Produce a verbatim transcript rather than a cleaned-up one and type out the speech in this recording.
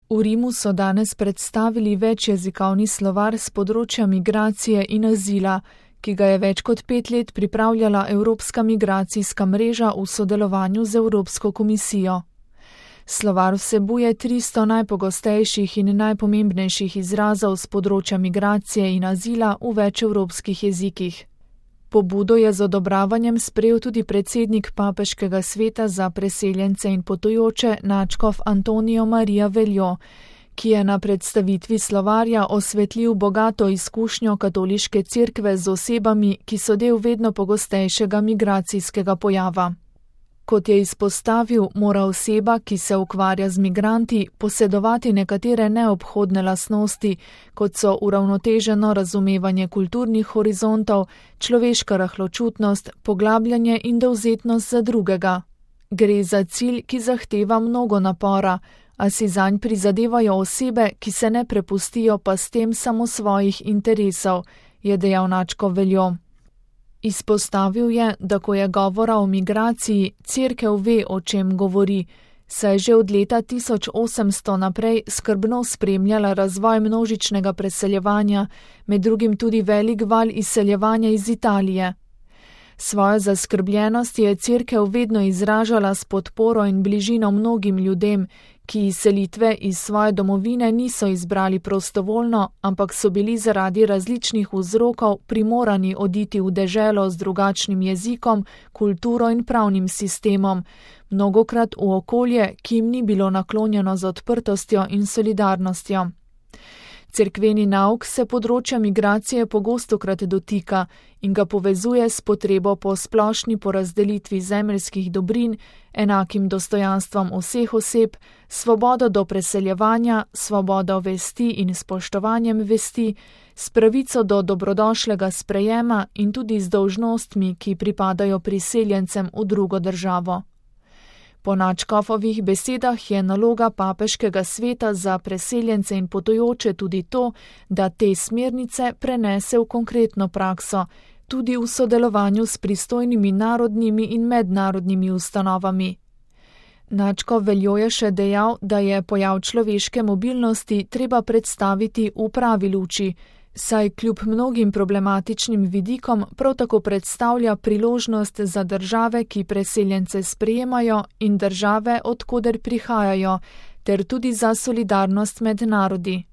V Rimu so danes predstavili večjezikovni slovar s področja migracije in azila, ki ga je več kot pet let pripravljala Evropska migracijska mreža v sodelovanju z Evropsko komisijo. Slovar vsebuje tristo najpogostejših in najpomembnejših izrazov s področja migracije in azila v več evropskih jezikih. Pobudo je z odobravanjem sprejel tudi predsednik Papeškega sveta za preseljence in potujoče nadškof Antonijo Marija Veljo, ki je na predstavitvi slovarja osvetlil bogato izkušnjo katoliške cerkve z osebami, ki so del vedno pogostejšega migracijskega pojava. Kot je izpostavil, mora oseba, ki se ukvarja z migranti, posedovati nekatere neobhodne lastnosti, kot so uravnoteženo razumevanje kulturnih horizontov, človeška rahločutnost, poglabljanje in dovzetnost za drugega. Gre za cilj, ki zahteva mnogo napora, a si zanj prizadevajo osebe, ki se ne prepustijo pa s tem samo svojih interesov, je dejal nadškof Veljo. Izpostavil je, da ko je govora o migraciji, cerkev ve, o čem govori, saj že od leta tisoč osemsto naprej skrbno spremljala razvoj množičnega preseljevanja, med drugim tudi velik val izseljevanja iz Italije. Svojo zaskrbljenost je cerkev vedno izražala s podporo in bližino mnogim ljudem, ki izselitve iz svoje domovine niso izbrali prostovoljno, ampak so bili zaradi različnih vzrokov primorani oditi v deželo z drugačnim jezikom, kulturo in pravnim sistemom, mnogokrat v okolje, ki jim ni bilo naklonjeno z odprtostjo in solidarnostjo. Cerkveni nauk se področja migracije pogostokrat dotika in ga povezuje s potrebo po splošni porazdelitvi zemeljskih dobrin, enakim dostojanstvom vseh oseb, svobodo do preseljevanja, svobodo vesti in spoštovanjem vesti, s pravico do dobrodošlega sprejema in tudi z dolžnostmi, ki pripadajo priseljencem v drugo državo. Po nadškofovih besedah je naloga Papeškega sveta za preseljence in potujoče tudi to, da te smernice prenese v konkretno prakso, tudi v sodelovanju s pristojnimi narodnimi in mednarodnimi ustanovami. Nadškof Veljo je še dejal, da je pojav človeške mobilnosti treba predstaviti v pravi luči, saj kljub mnogim problematičnim vidikom prav tako predstavlja priložnost za države, ki preseljence sprejemajo, in države, od koder prihajajo, ter tudi za solidarnost med narodi.